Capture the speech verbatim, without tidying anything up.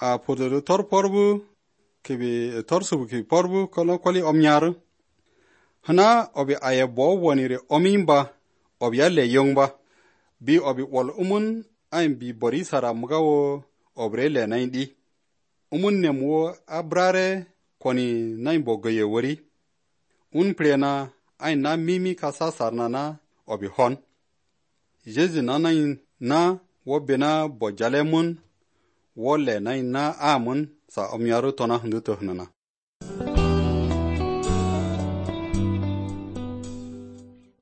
a podo tor porbu kebe tor subu ki porbu kono kwali omnyar hana obi aye bo wonire omimba obi alle yongba bi obi wol umun ayin bi bori sara mugawo obre le naindi umun nemwo abrare koni nain bogoye wori un prena ayin na mimi kasa sarna na obi hon Jezi na nain na wo bena bojale mun wo le nain na amun sa omyaru tona hundu tohnana